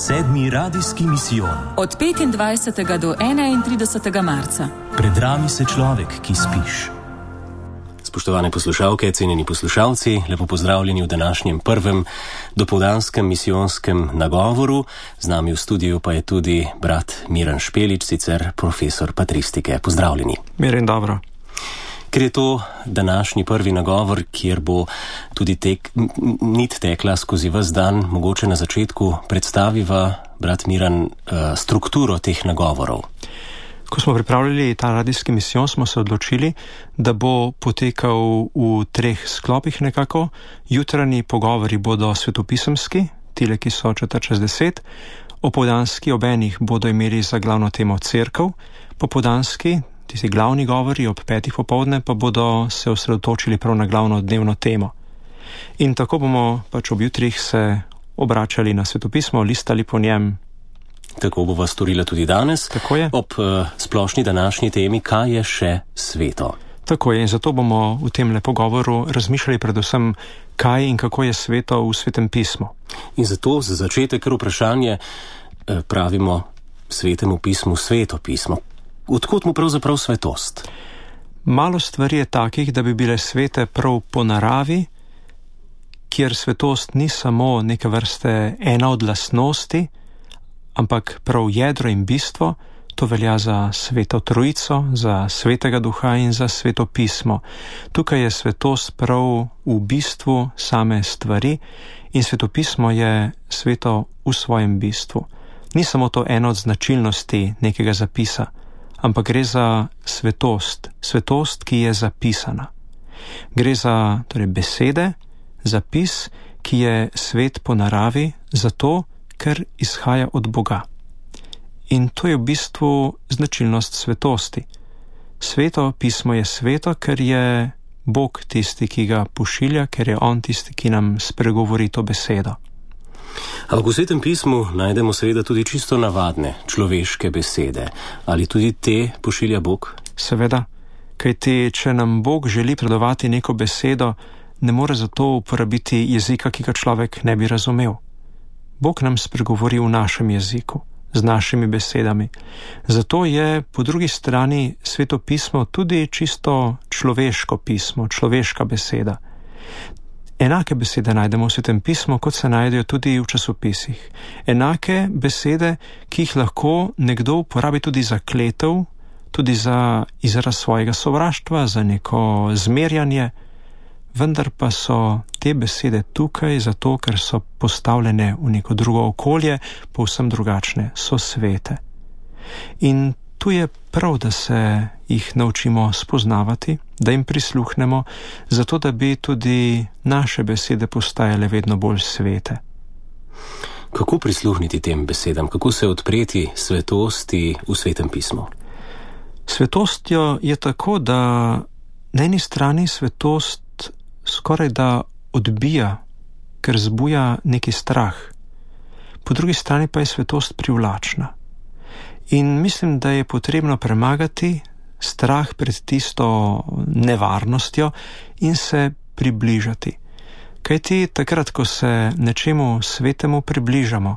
Sedmi radijski misijon. Od 25. do 31. marca. Pred nami se človek, ki spiš. Spoštovane poslušalke, cenjeni poslušalci, lepo pozdravljeni v današnjem prvem dopoldanskem misijonskem nagovoru. Z nami v studiu pa je tudi brat Miran Špelič, sicer profesor patristike. Pozdravljeni. Miran, dobro. Ker je to današnji prvi nagovor, kjer bo tudi nit tekla skozi ves dan, mogoče na začetku predstaviva, brat Miran, strukturo teh nagovorov. Ko smo pripravljali ta radijski misijon, smo se odločili, da bo potekal v 3 sklopih nekako. Jutranji pogovori bodo svetopisemski, tile, ki so 4:10, opoldanski ob enih bodo imeli za glavno temo cerkev, popoldanski, tisti glavni govori ob 5. popoldne, pa bodo se osredotočili prav na glavno dnevno temo. In tako bomo pač ob jutrih se obračali na svetopismo, listali po njem. Tako bova storila tudi danes. Tako je. Ob splošni današnji temi, kaj je še sveto. Tako je, in zato bomo v tem pogovoru razmišljali predvsem, kaj in kako je sveto v Svetem pismu. In zato za začetek kar vprašanje pravimo Svetemu pismu sveto pismo. Odkot mu pravzaprav svetost? Malo stvari je takih, da bi bile svete prav po naravi, kjer svetost ni samo neke vrste ena od lastnosti, ampak prav jedro in bistvo. To velja za Sveto Trojico, za Svetega Duha in za Sveto pismo. Tukaj je svetost prav v bistvu same stvari in Sveto pismo je sveto v svojem bistvu. Ni samo to ena od značilnosti nekega zapisa, ampak gre za svetost, ki je zapisana. Gre za besede, zapis, ki je svet po naravi, zato ker izhaja od Boga. In to je v bistvu značilnost svetosti. Sveto pismo je sveto, ker je Bog tisti, ki ga pošilja, ker je On tisti, ki nam spregovori to besedo. Ampak v Svetem pismu najdemo seveda tudi čisto navadne človeške besede. Ali tudi te pošilja Bog? Seveda, kajti če nam Bog želi predovati neko besedo, ne more zato uporabiti jezika, ki ga človek ne bi razumel. Bog nam spregovori v našem jeziku, z našimi besedami. Zato je po drugi strani Sveto pismo tudi čisto človeško pismo, človeška beseda. Enake besede najdemo v Svetem pismu, kot se najdejo tudi v časopisih. Enake besede, ki jih lahko nekdo uporabi tudi za kletev, tudi za izraz svojega sovraštva, za neko zmerjanje, vendar pa so te besede tukaj zato, ker so postavljene v neko drugo okolje, povsem drugačne, so svete. In tu je prav, da se jih naučimo spoznavati, da jim prisluhnemo, zato da bi tudi naše besede postajale vedno bolj svete. Kako prisluhniti tem besedam? Kako se odpreti svetosti v Svetem pismu? Svetostjo je tako, da na eni strani svetost skoraj da odbija, ker zbuja neki strah. Po drugi strani pa je svetost privlačna. In mislim, da je potrebno premagati strah pred tisto nevarnostjo in se približati. Kajti takrat, ko se nečemu svetemu približamo,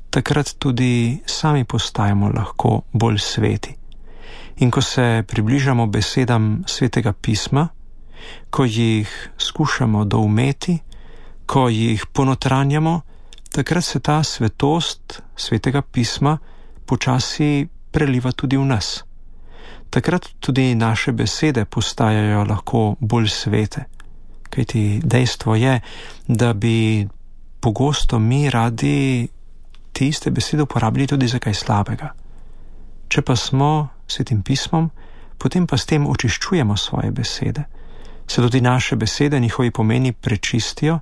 takrat tudi sami postajamo lahko bolj sveti. In ko se približamo besedam Svetega pisma, ko jih skušamo doumeti, ko jih ponotranjamo, takrat se ta svetost Svetega pisma počasi preliva tudi v nas. Takrat tudi naše besede postajajo lahko bolj svete. Kajti dejstvo je, da bi pogosto mi radi te iste besede uporabili tudi za kaj slabega. Če pa smo Svetim pismom, potem pa s tem očiščujemo svoje besede. Se tudi naše besede, njihovi pomeni prečistijo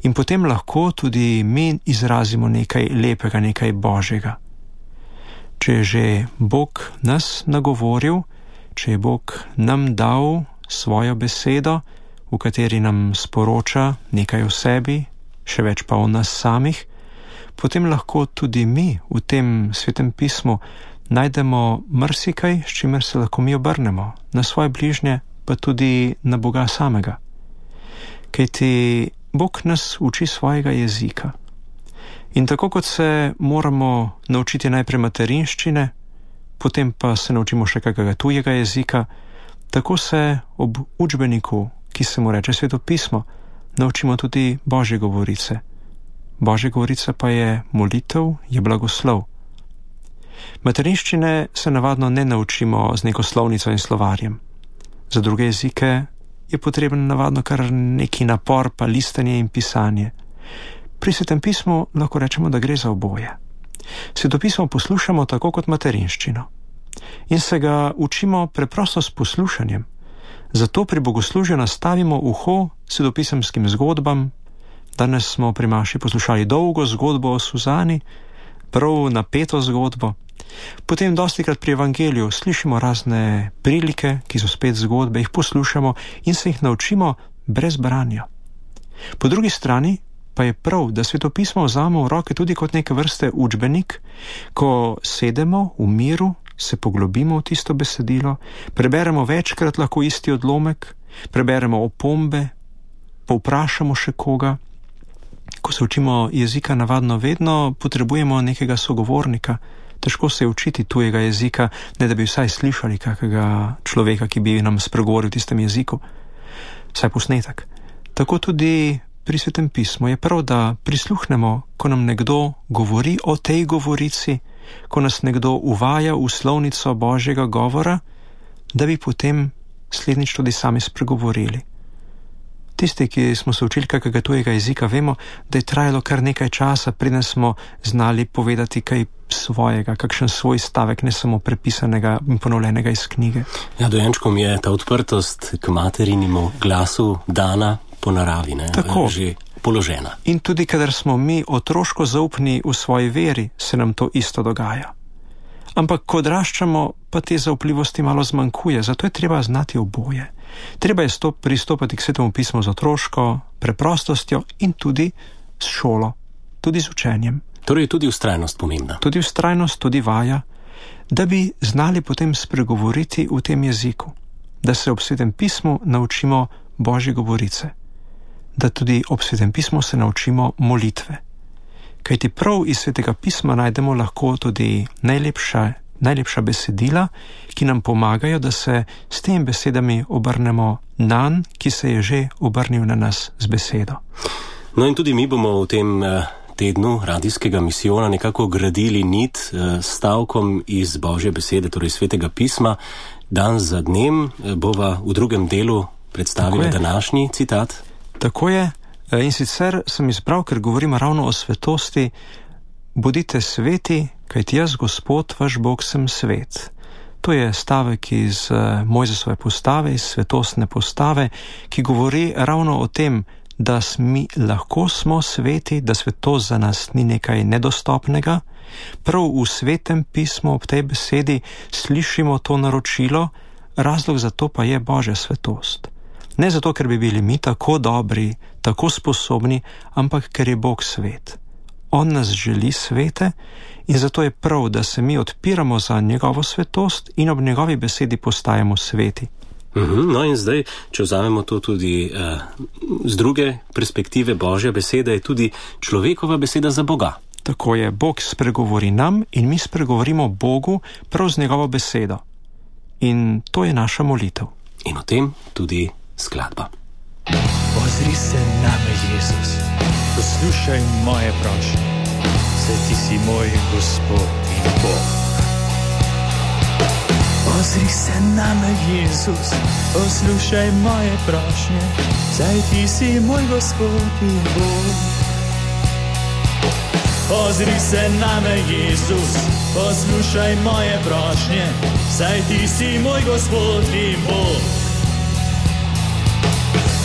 in potem lahko tudi mi izrazimo nekaj lepega, nekaj božjega. Če je že Bog nas nagovoril, če je Bog nam dal svojo besedo, v kateri nam sporoča nekaj o sebi, še več pa o nas samih, potem lahko tudi mi v tem Svetem pismu najdemo marsikaj, s čimer se lahko mi obrnemo na svoje bližnje, pa tudi na Boga samega. Kajti Bog nas uči svojega jezika. In tako kot se moramo naučiti najprej materinščine, potem pa se naučimo še kakega tujega jezika, tako se ob učbeniku, ki se mu reče Sveto pismo, naučimo tudi Božje govorice. Božja govorica pa je molitev, je blagoslov. Materinščine se navadno ne naučimo z neko slovnico in slovarjem. Za druge jezike je potreben navadno kar neki napor, pa listanje in pisanje. Pri Svetem pismu lahko rečemo, da gre za oboje. Svetopismo poslušamo tako kot materinščino in se ga učimo preprosto s poslušanjem. Zato pri bogoslužju nastavimo uho svetopisemskim zgodbam. Danes smo pri maši poslušali dolgo zgodbo o Suzani, prav napeto zgodbo. Potem dostikrat pri evangeliju slišimo razne prilike, ki so spet zgodbe, jih poslušamo in se jih naučimo brez branja. Po drugi strani pa je prav, da svetopismo vzamemo v roke tudi kot neke vrste učbenik, ko sedemo v miru, se poglobimo v tisto besedilo, preberemo večkrat lahko isti odlomek, preberemo opombe, povprašamo še koga. Ko se učimo jezika navadno vedno potrebujemo nekega sogovornika. Težko se je učiti tujega jezika, ne da bi vsaj slišali kakega človeka, ki bi nam spregovoril v tistem jeziku. Vsaj posnetek. Tako tudi pri Svetem pismu je prav, da prisluhnemo, ko nam nekdo govori o tej govorici, ko nas nekdo uvaja v slovnico Božjega govora, da bi potem slednjič tudi sami spregovorili. Tisti, ki smo se učili kakega tujega jezika, vemo, da je trajalo kar nekaj časa, preden smo znali povedati kaj svojega, kakšen svoj stavek, ne samo prepisanega in ponovljenega iz knjige. Ja, dojenčkom je ta odprtost k materinemu glasu dana po naravi, ne? Tako. Že položena. In tudi, kadar smo mi otroško zaupni v svoji veri, se nam to isto dogaja. Ampak, ko odraščamo, pa te zaupljivosti malo zmanjkuje, zato je treba znati oboje. Treba je pristopati k Svetemu pismu z otroško preprostostjo in tudi s šolo, tudi z učenjem. Torej je tudi vztrajnost pomembna. Tudi vztrajnost, tudi vaja, da bi znali potem spregovoriti v tem jeziku, da se ob Svetem pismu naučimo Božje govorice, da tudi ob Svetem pismu se naučimo molitve. Kajti prav iz Svetega pisma najdemo lahko tudi najlepša besedila, ki nam pomagajo, da se s temi besedami obrnemo nanj, ki se je že obrnil na nas z besedo. No in tudi mi bomo v tem tednu radijskega misijona nekako gradili nit stavkom iz Božje besede, torej Svetega pisma. Dan za dnem bova v drugem delu predstavila današnji citat. Tako je. In sicer sem izbral, ker govorimo ravno o svetosti: bodite sveti, kajti jaz, Gospod, vaš Bog, sem svet. To je stavek iz Mojzesove postave, iz svetostne postave, ki govori ravno o tem, da mi lahko smo sveti, da svetost za nas ni nekaj nedostopnega. Prav v Svetem pismu ob tej besedi slišimo to naročilo, razlog za to pa je Božja svetost. Ne zato, ker bi bili mi tako dobri, tako sposobni, ampak ker je Bog svet. On nas želi svete in zato je prav, da se mi odpiramo za njegovo svetost in ob njegovi besedi postajamo sveti. No in zdaj, če vzamemo to tudi z druge perspektive, Božja beseda je tudi človekova beseda za Boga. Tako je, Bog spregovori nam in mi spregovorimo Bogu prav z njegovo besedo. In to je naša molitev. In o tem tudi skladba. Ozri se name, Jezus, poslušaj moje prošnje, saj ti si moj Gospod in Bog. Ozri se name, Jezus, poslušaj moje prošnje, saj ti si moj Gospod in Bog. Ozri se name, Jezus, poslušaj moje prošnje, saj ti si moj Gospod in Bog.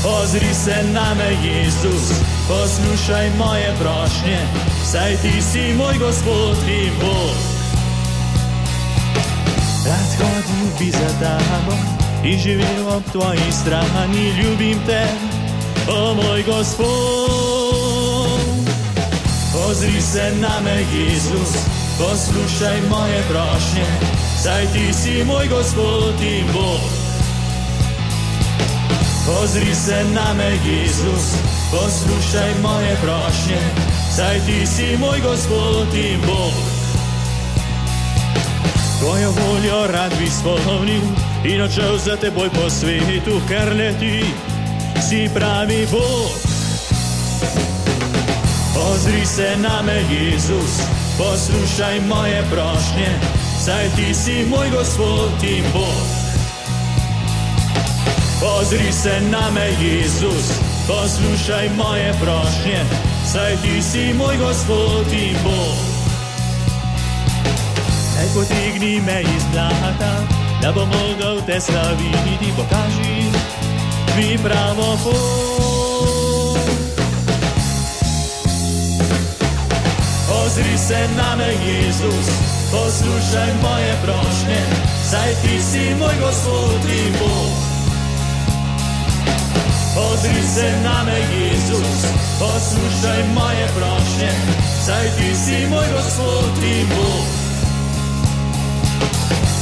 Ozri se name, Jezus, poslušaj moje prošnje, saj ti si moj Gospod in Bog. Rad hodil bi za tabo in živel ob tvoji strani, ljubim te, o moj Gospod. Ozri se name, Jezus, poslušaj moje prošnje, saj ti si moj Gospod in Bog. Ozri se name, Jezus, poslušaj moje prošnje, saj ti si moj Gospod in Bog. Tvojo voljo rad bi spomnil in odšel za teboj po svetu, ker le ti si pravi Bog. Ozri se name, Jezus, poslušaj moje prošnje, saj ti si moj Gospod in Bog. Ozri se name, Jezus, poslušaj moje prošnje, saj ti si moj Gospod in Bog. Daj potegni me iz blata, da bom mogel te slaviti, pokaži mi pravo pot. Ozri se name, Jezus, poslušaj moje prošnje, saj ti si moj Gospod in Bog. Ozri se name, Jezus, poslušaj moje prošnje, saj ti si moj Gospod in Bog.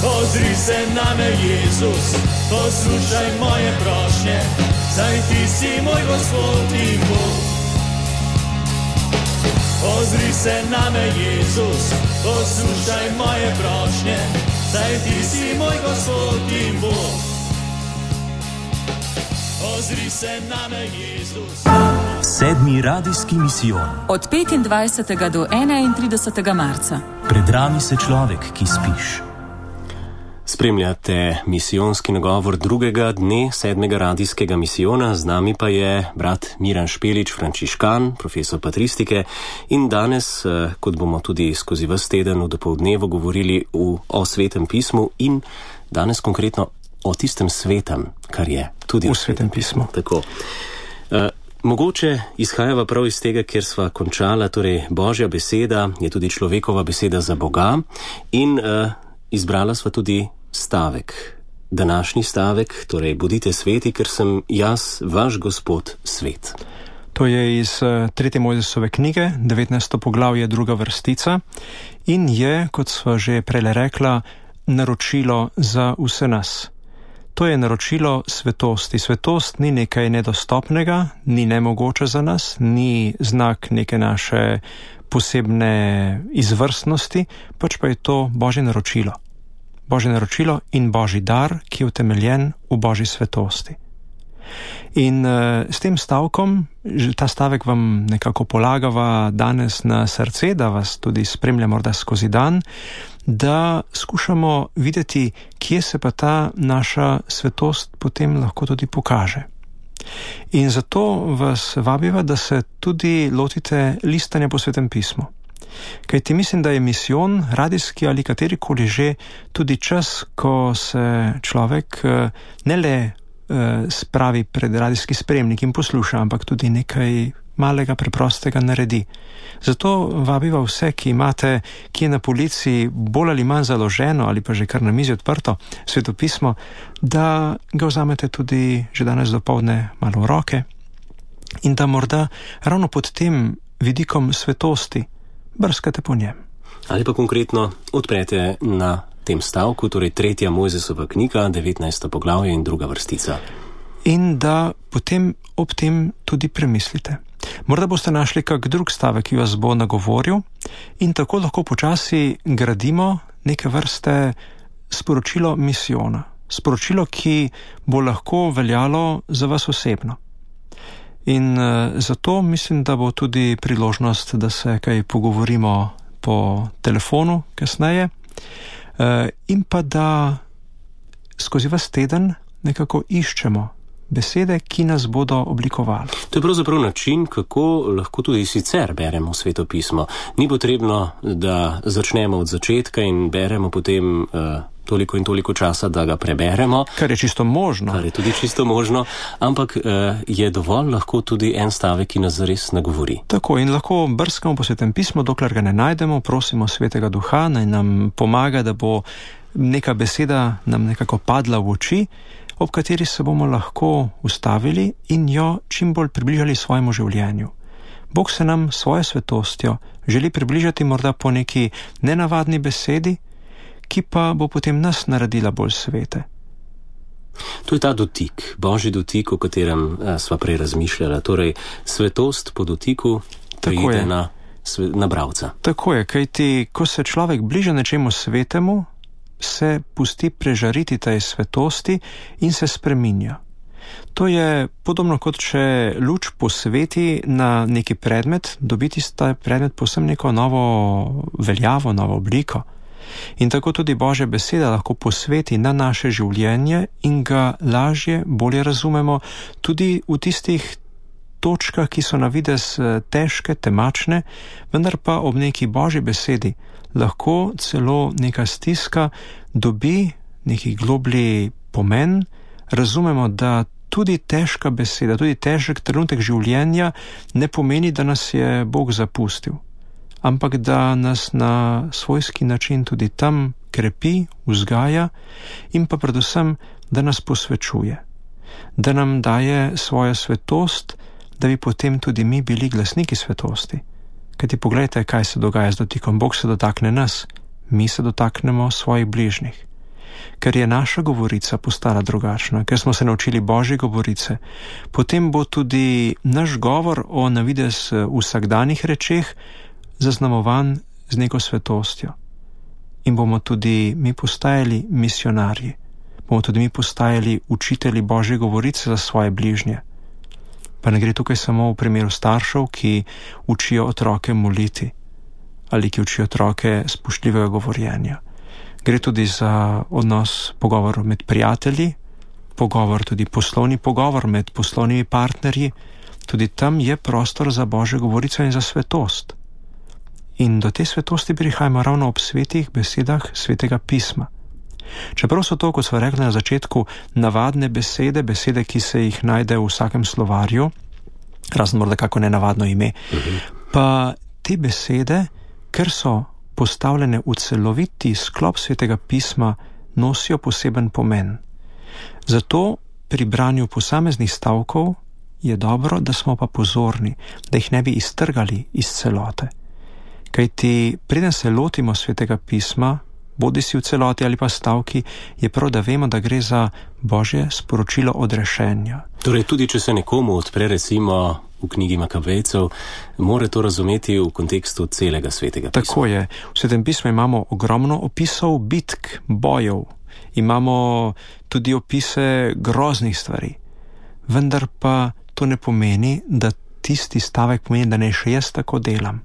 Ozri se name, Jezus, poslušaj moje prošnje, saj ti si moj Gospod in Bog. Ozri se name, Jezus, poslušaj moje prošnje, saj ti si moj Gospod in Bog. Ozri se name, Jezus. Sedmi radijski misijon. Od 25. do 31. marca. Pred nami se človek, ki spiš. Spremljate misijonski nagovor drugega dne 7. radijskega misijona, z nami pa je brat Miran Špelič, frančiškan, profesor patristike, in danes, kot bomo tudi skozi ves teden v dopoldnevu govorili o Svetem pismu in danes konkretno o tistem svetem, kar je tudi v Svetem pismu. Tako. Mogoče izhajava prav iz tega, ker sva končala, torej Božja beseda je tudi človekova beseda za Boga in izbrala sva tudi stavek, današnji stavek, torej bodite sveti, ker sem jaz, vaš Gospod, svet. To je iz 3. Mojzesove knjige, 19. poglavje, 2. vrstica in je, kot sva že prej rekla, naročilo za vse nas. To je naročilo svetosti. Svetost ni nekaj nedostopnega, ni nemogoče za nas, ni znak neke naše posebne izvrstnosti, pač pa je to Božje naročilo. Božje naročilo in Božji dar, ki je utemeljen v Božji svetosti. In s tem stavkom, ta stavek vam nekako polagava danes na srce, da vas tudi spremlja morda skozi dan, da skušamo videti, kje se pa ta naša svetost potem lahko tudi pokaže. In zato vas vabiva, da se tudi lotite listanja po Svetem pismu. Kajti mislim, da je misijon, radijski ali katerikoli že, tudi čas, ko se človek ne le spravi pred radijski spremnik in posluša, ampak tudi nekaj malega preprostega naredi. Zato vabiva vse, ki imate kje na polici bolj ali manj založeno ali pa že kar na mizi odprto svetopismo, da ga vzamete tudi že danes dopoldne malo v roke in da morda ravno pod tem vidikom svetosti brskate po njem. Ali pa konkretno odprete na tem stavku, torej 3. Mojzesova knjiga, 19. poglavje in 2. vrstica. In da potem ob tem tudi premislite. Morda boste našli kak drug stavek, ki vas bo nagovoril in tako lahko počasi gradimo neke vrste sporočilo misijona. Sporočilo, ki bo lahko veljalo za vas osebno. In zato mislim, da bo tudi priložnost, da se kaj pogovorimo po telefonu kasneje in pa da skozi vas teden nekako iščemo besede, ki nas bodo oblikovali. To je pravzaprav način, kako lahko tudi sicer beremo Sveto pismo. Ni potrebno, da začnemo od začetka in beremo potem toliko in toliko časa, da ga preberemo. Kar je čisto možno. Kar je tudi čisto možno, ampak je dovolj lahko tudi en stavek, ki nas zares nagovori. Tako, in lahko brskamo po Svetem pismu, dokler ga ne najdemo, prosimo Svetega Duha, naj nam pomaga, da bo neka beseda nam nekako padla v oči, ob kateri se bomo lahko ustavili in jo čim bolj približali svojemu življenju. Bog se nam svojo svetostjo želi približati morda po neki nenavadni besedi, ki pa bo potem nas naredila bolj svete. To je ta dotik, Božji dotik, o katerem sva prej razmišljala. Torej, svetost po dotiku pride na na bralca. Tako je, kajti ko se človek bliže nečemu svetemu, se pusti prežariti tej svetosti in se spreminja. To je podobno kot če luč posveti na neki predmet, dobiti ta predmet povsem neko novo veljavo, novo obliko. In tako tudi Božja beseda lahko posveti na naše življenje in ga lažje, bolje razumemo tudi v tistih točkah, ki so na videz težke, temačne, vendar pa ob neki Božji besedi lahko celo neka stiska dobi neki globlji pomen, razumemo, da tudi težka beseda, tudi težek trenutek življenja ne pomeni, da nas je Bog zapustil, ampak da nas na svojski način tudi tam krepi, vzgaja in pa predvsem, da nas posvečuje, da nam daje svojo svetost, da bi potem tudi mi bili glasniki svetosti. Kajti pogledajte, kaj se dogaja z dotikom. Bog se dotakne nas, mi se dotaknemo svojih bližnjih. Ker je naša govorica postala drugačna, ker smo se naučili Božje govorice, potem bo tudi naš govor o na videz vsakdanjih rečeh zaznamovan z neko svetostjo. In bomo tudi mi postajali misionarji, bomo tudi mi postajali učitelji Božje govorice za svoje bližnje. Pa ne gre tukaj samo v primeru staršev, ki učijo otroke moliti ali ki učijo otroke spoštljivega govorjenja. Gre tudi za odnos, pogovor med prijatelji, pogovor tudi poslovni pogovor med poslovnimi partnerji. Tudi tam je prostor za Božjo govorico in za svetost. In do te svetosti prihajamo ravno ob svetih besedah Svetega pisma. Čeprav so to, kot smo rekli na začetku, navadne besede, besede, ki se jih najde v vsakem slovarju, razen morda kako nenavadno ime, pa te besede, ker so postavljene v celoviti sklop Svetega pisma, nosijo poseben pomen. Zato pri branju posameznih stavkov je dobro, da smo pa pozorni, da jih ne bi iztrgali iz celote. Kajti preden se lotimo Svetega pisma, bodi si v celoti ali pa stavki, je prav, da vemo, da gre za Božje sporočilo odrešenja. Torej, tudi če se nekomu odpre recimo v knjigi Makabejcev, mora to razumeti v kontekstu celega Svetega pisma. Tako je. V Svetem pismu imamo ogromno opisov bitk, bojev, imamo tudi opise groznih stvari. Vendar pa to ne pomeni, da tisti stavek pomeni, da ne še jaz tako delam.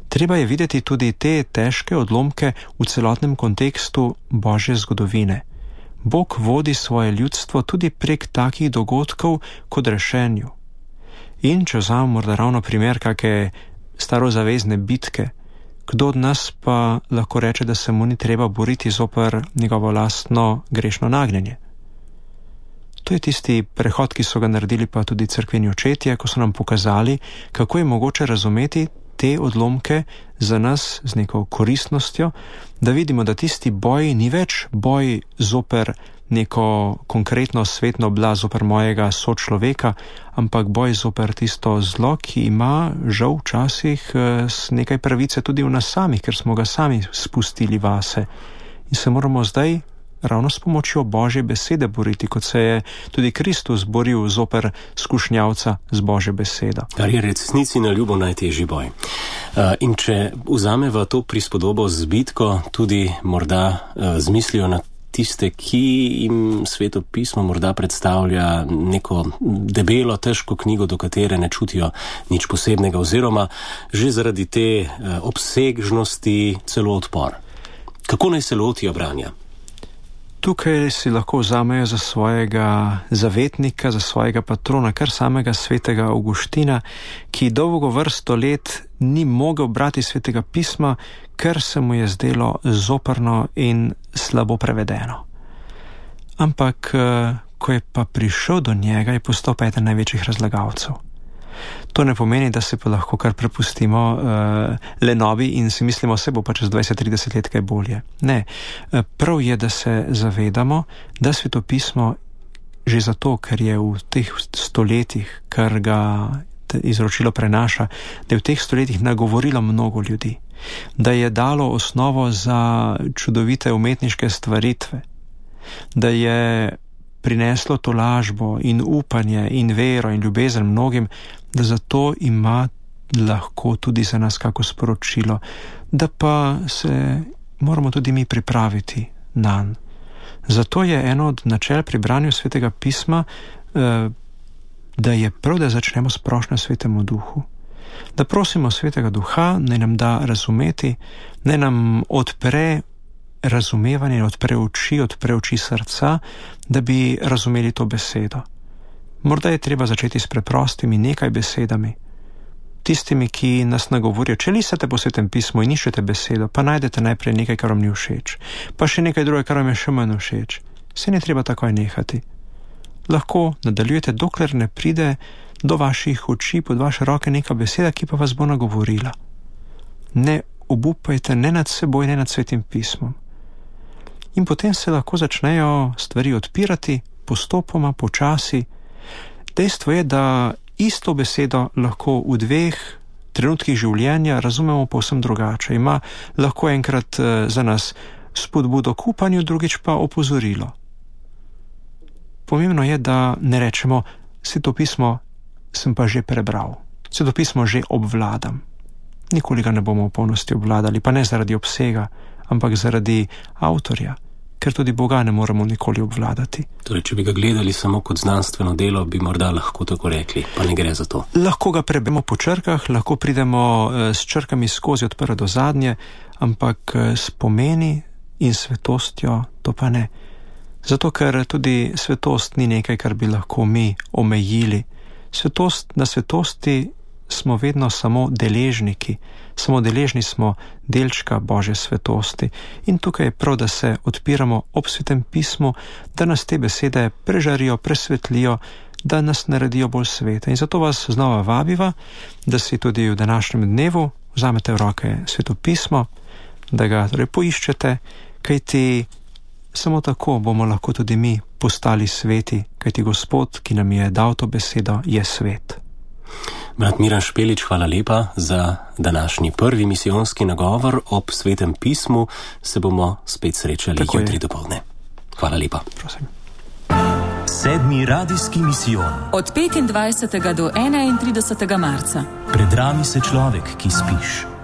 Treba je videti tudi te težke odlomke v celotnem kontekstu Božje zgodovine. Bog vodi svoje ljudstvo tudi prek takih dogodkov kot rešenju. In če vzamem morda ravno primer kakšne starozavezne bitke, kdo od nas pa lahko reče, da se mu ni treba boriti zoper njegovo lastno grešno nagnjenje? To je tisti prehod, ki so ga naredili pa tudi cerkveni očetje, ko so nam pokazali, kako je mogoče razumeti te odlomke za nas z neko koristnostjo, da vidimo, da tisti boj ni več boj zoper neko konkretno svetno oblast, zoper mojega sočloveka, ampak boj zoper tisto zlo, ki ima žal včasih nekaj pravice tudi v nas samih, ker smo ga sami spustili vase. In se moramo zdaj ravno s pomočjo Božje besede boriti, kot se je tudi Kristus boril zoper skušnjavca z Božjo besedo. Kar je resnici na ljubo najtežji boj. In če vzameva to prispodobo z bitko, tudi morda z mislijo na tiste, ki jim Sveto pismo morda predstavlja neko debelo, težko knjigo, do katere ne čutijo nič posebnega, oziroma že zaradi te obsežnosti celo odpor. Kako naj se lotijo branja? Tukaj si lahko vzamejo za svojega zavetnika, za svojega patrona, kar samega svetega Avguština, ki dolgo vrsto let ni mogel brati Svetega pisma, ker se mu je zdelo zoprno in slabo prevedeno. Ampak, ko je pa prišel do njega, je postal pa eden največjih razlagalcev. To ne pomeni, da se pa lahko kar prepustimo lenobi in si mislimo, se bo pa čez 20-30 let kaj bolje. Ne, prav je, da se zavedamo, da Svetopismo že zato, ker je v teh stoletjih, kar ga izročilo prenaša, da je v teh stoletjih nagovorilo mnogo ljudi, da je dalo osnovo za čudovite umetniške stvaritve, da je prineslo tolažbo in upanje in vero in ljubezen mnogim, da zato ima lahko tudi za nas kako sporočilo, da pa se moramo tudi mi pripraviti nanj. Zato je eno od načel pri branju Svetega pisma, da je prav, da začnemo s prošnjo Svetemu Duhu. Da prosimo Svetega Duha, naj nam da razumeti, naj nam odpre razumevanje, odpre oči srca, da bi razumeli to besedo. Morda je treba začeti s preprostimi nekaj besedami. Tistimi, ki nas nagovorijo, če listate po Svetem pismu in iščete besedo, pa najdete najprej nekaj, kar vam ni všeč, pa še nekaj druge, kar vam je še manj všeč. Se ne treba takoj nehati. Lahko nadaljujete, dokler ne pride do vaših oči, pod vaše roke neka beseda, ki pa vas bo nagovorila. Ne obupajte ne nad seboj, ne nad Svetim pismom. In potem se lahko začnejo stvari odpirati, postopoma, počasi. Dejstvo je, da isto besedo lahko v dveh trenutkih življenja razumemo povsem drugače. Ima lahko enkrat za nas spodbudo k upanju, drugič pa opozorilo. Pomembno je, da ne rečemo, Sveto pismo sem pa že prebral, Sveto pismo že obvladam. Nikoli ga ne bomo v polnosti obvladali, pa ne zaradi obsega, ampak zaradi avtorja, ker tudi Boga ne moremo nikoli obvladati. Torej, če bi ga gledali samo kot znanstveno delo, bi morda lahko tako rekli, pa ne gre za to. Lahko ga prebemo po črkah, lahko pridemo s črkami skozi od prve do zadnje, ampak s pomeni in svetostjo to pa ne. Zato, ker tudi svetost ni nekaj, kar bi lahko mi omejili. Na svetosti smo vedno samo deležniki, samo deležni smo delčka Božje svetosti. In tukaj je prav, da se odpiramo ob Svetem pismu, da nas te besede prežarijo, presvetlijo, da nas naredijo bolj svete. In zato vas znova vabiva, da si tudi v današnjem dnevu vzamete v roke Sveto pismo, da ga torej poiščete, kajti samo tako bomo lahko tudi mi postali sveti, kajti Gospod, ki nam je dal to besedo, je svet. Brat Miran Špelič, hvala lepa za današnji prvi misijonski nagovor ob Svetem pismu. Se bomo spet srečali jutri dopoldne. Hvala lepa. Prosim. 7. radijski misijon. Od 25. do 31. marca. Predrami se človek, ki spiš.